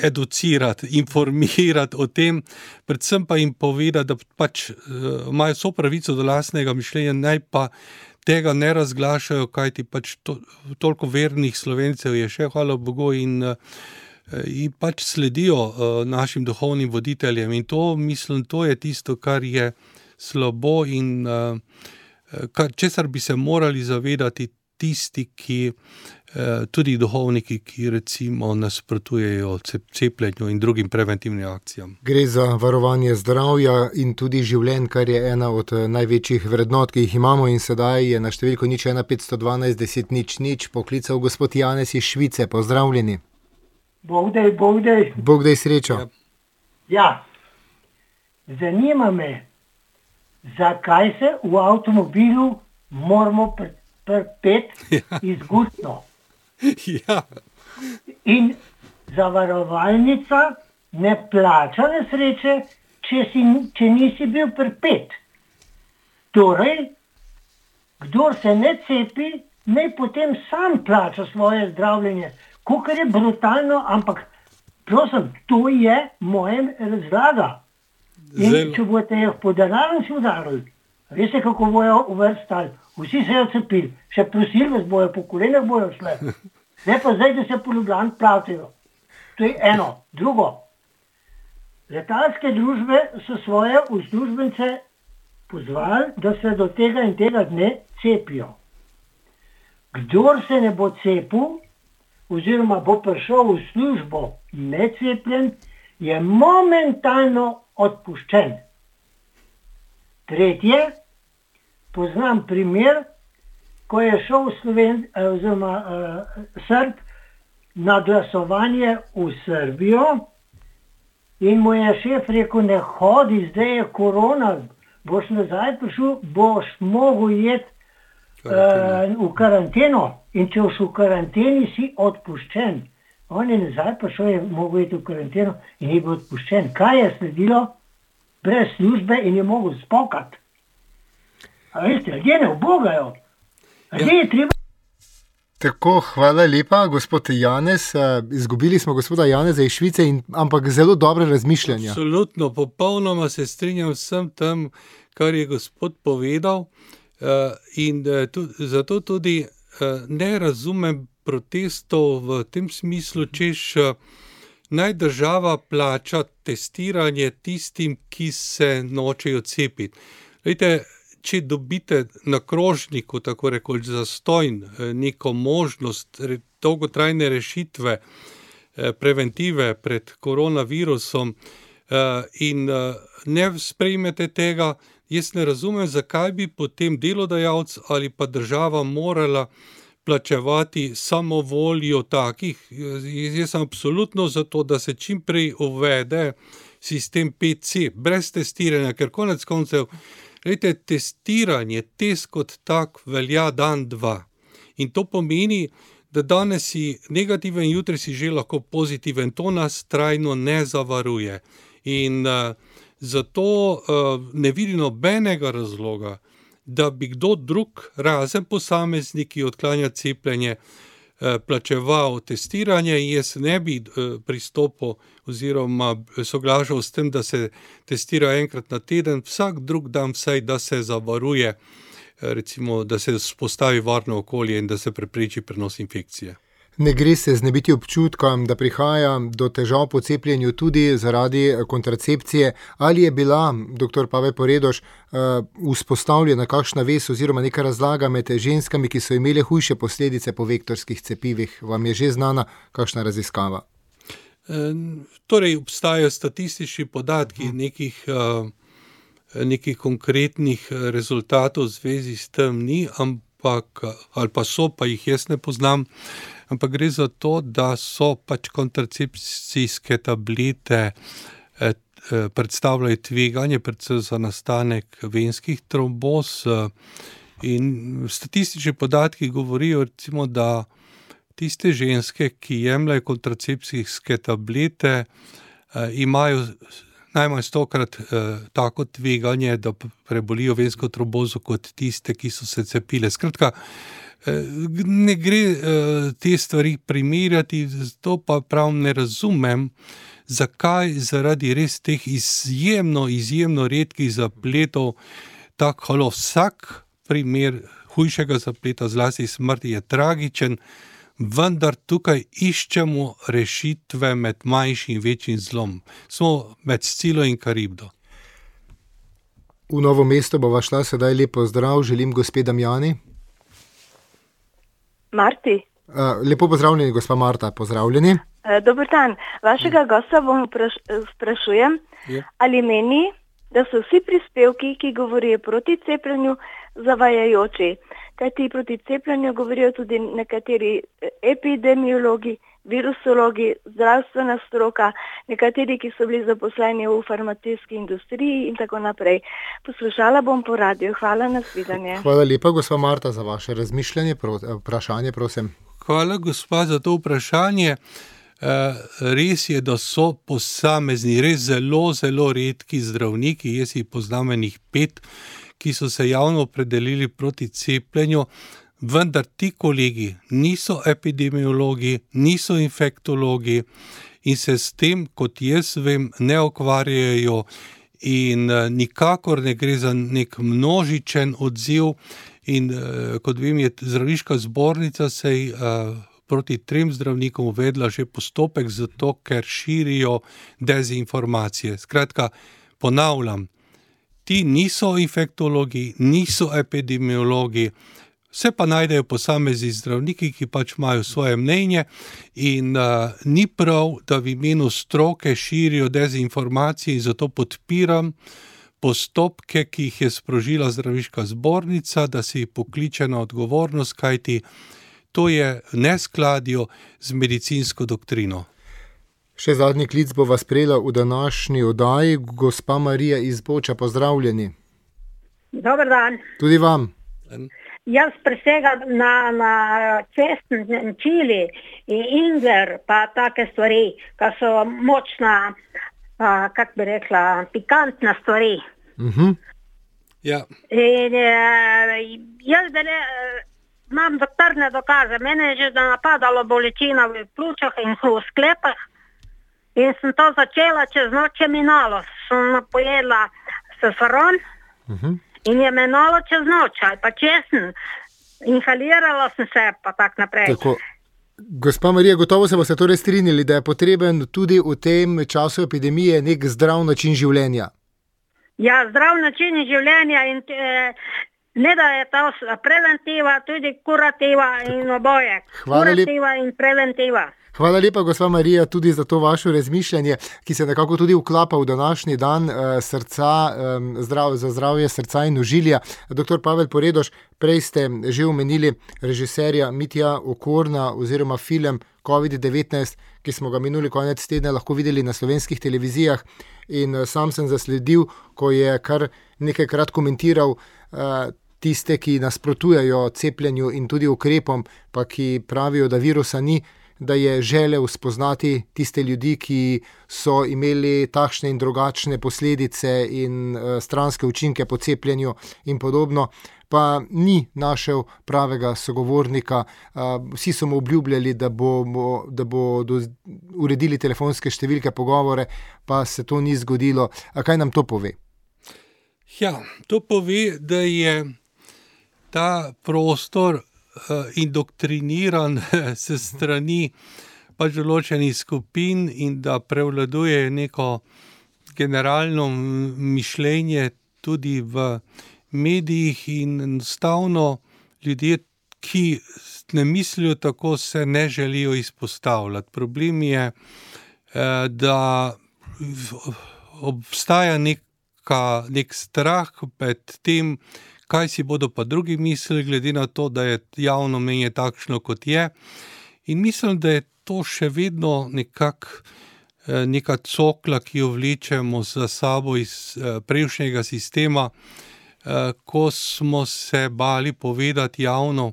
educirati, informirati o tem, predvsem pa jim povedati, da pač imajo vso pravico do lastnega mišljenja, naj pa tega ne razglašajo, kajti pač toliko vernih Slovencev je še, hvala Bogu, in pač sledijo našim duhovnim voditeljem in to, mislim, to je tisto, kar je slabo in česar bi se morali zavedati tisti, ki tudi duhovniki, ki recimo nasprotujejo cepljenju in drugim preventivnim akcijam. Gre za varovanje zdravja in tudi življenj, kar je ena od največjih vrednot, ki jih imamo in sedaj je na številko 01 512 10 00 poklical gospod Janez iz Švice. Pozdravljeni. Bog daj. Bog daj srečo. Ja, zanima me, zakaj se v avtomobilu moramo pripeti izgustno. Ja. In zavarovalnica ne plača nesreče, če nisi bil pripet. Torej, kdor se ne cepi, naj potem sam plača svoje zdravljenje. Kakor je brutalno, ampak prosim, to je moja razlaga. In če boste jih po denarju si udarili, veste, kako bojo uvrstali. Vsi se jo cepili, še prosili vas bojo, po kolenah bojo šle. Ne pa zdaj, da se po Ljubljani platijo. To je eno. Drugo, letalske družbe so svoje uslužbence pozvali, da se do tega in tega dne cepijo. Kdor se ne bo cepil, oziroma bo prišel v službo necepljen, je momentalno odpuščen. Tretje, poznam primer, ko je šel Srb na glasovanje v Srbijo in mu je šef rekel, ne hodi, zdaj je korona, boš nazaj prišel, boš mogel jeti v karanteno in če boš v karanteni, si odpuščen. On je nazaj prišel, je mogel jeti v karanteno in je bil odpuščen. Kaj je sledilo? Brez službe in je mogel spokati. A veste, ljudje ne ubogajo. Ljudje je treba... Tako, hvala lepa, gospod Janez. Izgubili smo gospoda Janeza iz Švice, ampak zelo dobre razmišljanja. Absolutno, popolnoma se strinjam vsem tem, kar je gospod povedal. In zato tudi ne razumem protestov v tem smislu, češ naj država plača testiranje tistim, ki se nočejo cepiti. Glejte, če dobite na krožniku, tako rekoč zastojn, neko možnost dolgotrajne rešitve, preventive pred koronavirusom in ne sprejmete tega, jaz ne razumem, zakaj bi potem delodajalec ali pa država morala plačevati samovoljo takih. Jaz sem absolutno za to, da se čim prej uvede sistem PC, brez testiranja, ker konec koncev, glejte, testiranje, test kot tak velja dan, dva. In to pomeni, da danes si negativen, jutri si že lahko pozitiven. To nas trajno ne zavaruje. In zato ne vidim nobenega razloga, da bi kdo drug, razen posamezniki, odklanja cepljenje, plačeval testiranje in jaz ne bi pristopil oziroma soglašal s tem, da se testira enkrat na teden, vsak drug dan vsaj, da se zavaruje, recimo, da se vzpostavi varno okolje in da se prepreči prenos infekcije. Ne gre se znebiti občutkom, da prihaja do težav po cepljenju tudi zaradi kontracepcije. Ali je bila, dr. Pavel Poredoš, vzpostavljena kakšna vez oziroma neka razlaga med ženskami, ki so imele hujše posledice po vektorskih cepivih? Vam je že znana kakšna raziskava? Torej, obstajajo statistični podatki, nekih konkretnih rezultatov v zvezi s tem ni, ampak, ali pa so, pa jih jaz ne poznam, ampak gre za to, da so pač kontracepcijske tablete predstavljajo tveganje, predvsem za nastanek venskih tromboz, in statistični podatki govorijo, recimo, da tiste ženske, ki jemljajo kontracepcijske tablete, imajo najmanj 100-krat tako tveganje, da prebolijo vensko trombozo kot tiste, ki so se cepile. Skratka, ne gre te stvari primerjati, zato pa prav ne razumem, zakaj zaradi res teh izjemno redkih zapletov tako vsak primer hujšega zapleta, zlasti smrti, je tragičen, vendar tukaj iščemo rešitve med manjšim in večjim zlom. Smo med Scilo in Karibdo. V Novo mesto bova šla, sedaj lep pozdrav, želim gospe Damjani. Marti. Lepo pozdravljeni, gospa Marta, pozdravljeni. Dober dan. Vašega gosta bom sprašujem, ali meni, da so vsi prispevki, ki govorijo proti cepljenju, zavajajoči. Kajti proti cepljenju govorijo tudi nekateri epidemiologi, virusologi, zdravstvena stroka, nekateri, ki so bili zaposleni v farmacijski industriji in tako naprej. Poslušala bom po radiju. Hvala, nasvidenje. Hvala lepa, gospa Marta, za vaše razmišljanje. Vprašanje, prosim. Hvala, gospa, za to vprašanje. Res je, da so posamezni, res zelo redki zdravniki, jaz jih poznam enih 5, ki so se javno opredelili proti cepljenju, vendar ti kolegi niso epidemiologi, niso infektologi in se s tem, kot jaz vem, ne ukvarjajo in nikakor ne gre za nek množičen odziv in kot vem, je zdravniška zbornica sej proti 3 zdravnikom uvedla že postopek zato, ker širijo dezinformacije. Skratka, ponavljam, ti niso infektologi, niso epidemiologi, se pa najdejo posamezni zdravniki, ki pač imajo svoje mnenje in ni prav, da v imenu stroke širijo dezinformacije in zato podpiram postopke, ki jih je sprožila zdravniška zbornica, da se jih pokliče na odgovornost, kajti to je neskladje z medicinsko doktrino. Še zadnji klic bo vas prejela v današnji oddaji. Gospa Marija iz Boča, pozdravljeni. Dober dan. Tudi vam. Jaz presegam na česen, čili in ingver, pa take stvari, ki so močna, kak bi rekla, pikantna stvari. Ja. In jaz imam doktorne dokaze. Mene je že napadalo bolečina v pljučih in v sklepah. In sem to začela čez noč minalo. Sem pojedla safaron in je minalo čez noč, ali pa česen. Inhalirala sem se, pa tak naprej. Tako. Gospa Marija, gotovo se boste torej strinjali, da je potreben tudi v tem času epidemije nek zdrav način življenja. Ja, zdrav način življenja in ne da je to preventiva, tudi kurativa in oboje. Kurativa in preventiva. Hvala lepa, gospa Marija, tudi za to vaše razmišljanje, ki se nekako tudi vklapa v današnji dan srca, za zdravje srca in ožilja. Dr. Pavel Poredoš, prej ste že omenili režiserja Mitja Okorna oziroma film COVID-19, ki smo ga minuli konec tedna lahko videli na slovenskih televizijah in sam sem zasledil, ko je kar nekajkrat komentiral tiste, ki nasprotujejo cepljenju in tudi ukrepom, pa ki pravijo, da virusa ni, da je želel spoznati tiste ljudi, ki so imeli takšne in drugačne posledice in stranske učinke po cepljenju in podobno, pa ni našel pravega sogovornika. Vsi so mu obljubljali, da bodo uredili telefonske številke, pogovore, pa se to ni zgodilo. A kaj nam to pove? Ja, to pove, da je ta prostor indoktriniran se strani pač določenih skupin in da prevladuje neko generalno mišljenje tudi v medijih in enostavno ljudje, ki ne mislijo tako, se ne želijo izpostavljati. Problem je, da obstaja nek strah pred tem, kaj si bodo pa drugi mislili, glede na to, da je javno mnenje takšno, kot je. In mislim, da je to še vedno neka cokla, ki jo vlečemo za sabo iz prejšnjega sistema, ko smo se bali povedati javno,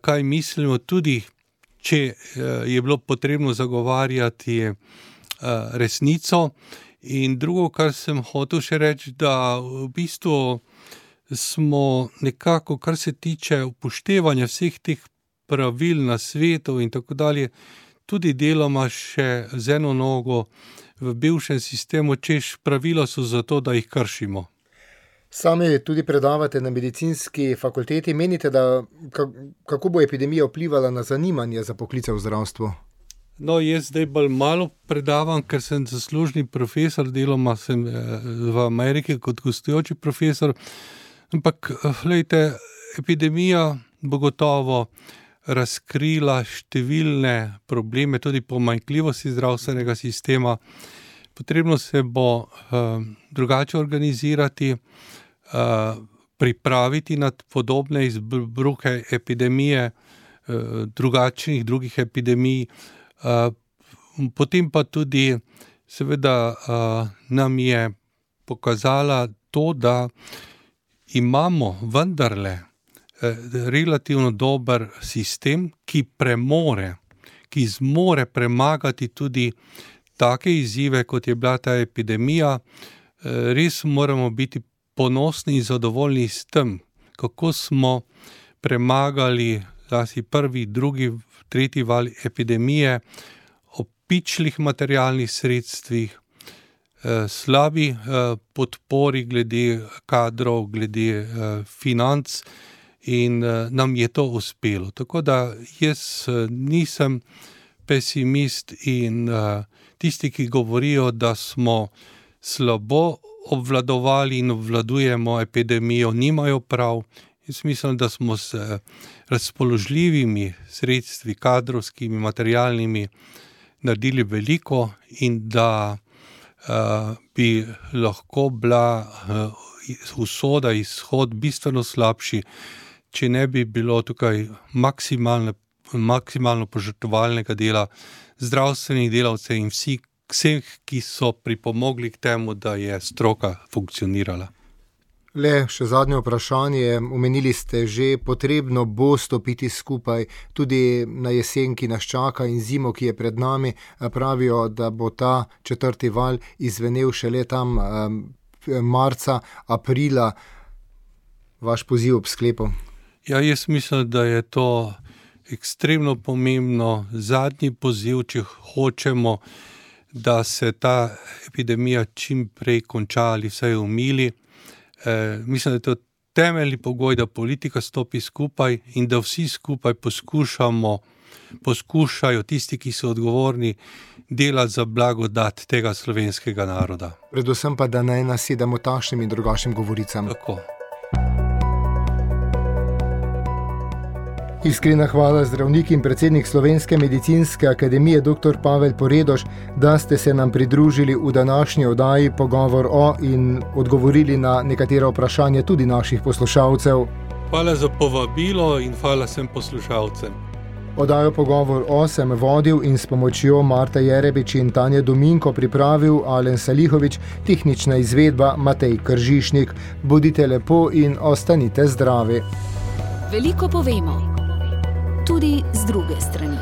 kaj mislimo, tudi če je bilo potrebno zagovarjati resnico. In drugo, kar sem hotel še reči, da v bistvu smo nekako, kar se tiče upoštevanja vseh teh pravil na svetu in tako dalje, tudi deloma še z eno nogo v bivšem sistemu, češ pravila so zato, da jih kršimo. Sami tudi predavate na medicinski fakulteti. Menite, da kako bo epidemija vplivala na zanimanje za poklice v zdravstvu? No, jaz zdaj bolj malo predavam, ker sem zaslužni profesor, deloma sem v Ameriki kot gostujoči profesor. Ampak, glejte, epidemija bo gotovo razkrila številne probleme, tudi pomanjkljivosti zdravstvenega sistema. Potrebno se bo drugače organizirati, pripraviti na podobne izbruhe epidemije, drugih epidemij. Potem pa tudi, seveda, nam je pokazala to, da imamo vendarle relativno dober sistem, ki zmore premagati tudi take izzive, kot je bila ta epidemija. Res moramo biti ponosni in zadovoljni s tem, kako smo premagali zlasti prvi, drugi, tretji val epidemije, o pičlih materialnih sredstvih, slabi podpori glede kadrov, glede financ, in nam je to uspelo. Tako da jaz nisem pesimist in tisti, ki govorijo, da smo slabo obvladovali in obvladujemo epidemijo, nimajo prav. Jaz mislim, da smo s razpoložljivimi sredstvi, kadrovskimi, materialnimi, naredili veliko in da bi lahko bila usoda, izhod bistveno slabši, če ne bi bilo tukaj maksimalno požrtvovalnega dela zdravstvenih delavcev in vseh, ki so pripomogli k temu, da je stroka funkcionirala. Le še zadnje vprašanje. Omenili ste že, potrebno bo stopiti skupaj tudi na jesen, ki nas čaka, in zimo, ki je pred nami. Pravijo, da bo ta 4. val izvenel šele tam marca, aprila. Vaš poziv ob sklepu? Ja, jaz mislim, da je to ekstremno pomembno. Zadnji poziv, če hočemo, da se ta epidemija čim prej konča ali vsaj umili. Mislim, da je to temeljni pogoj, da politika stopi skupaj in da vsi skupaj poskušajo tisti, ki so odgovorni, delati za blagodat tega slovenskega naroda. Predvsem pa, da ne nasedamo takšnim in drugačnim govoricam. Tako. Iskrena hvala zdravnik in predsednik Slovenske medicinske akademije dr. Pavel Poredoš, da ste se nam pridružili v današnji oddaji Pogovor o in odgovorili na nekatera vprašanja tudi naših poslušalcev. Hvala za povabilo in hvala vsem poslušalcem. Oddajo Pogovor o sem vodil in s pomočjo Marta Jerebič in Tanje Dominko pripravil Alen Salihovič, tehnična izvedba Matej Kržišnik. Bodite lepo in ostanite zdravi. Veliko povemo, tudi z druge strani.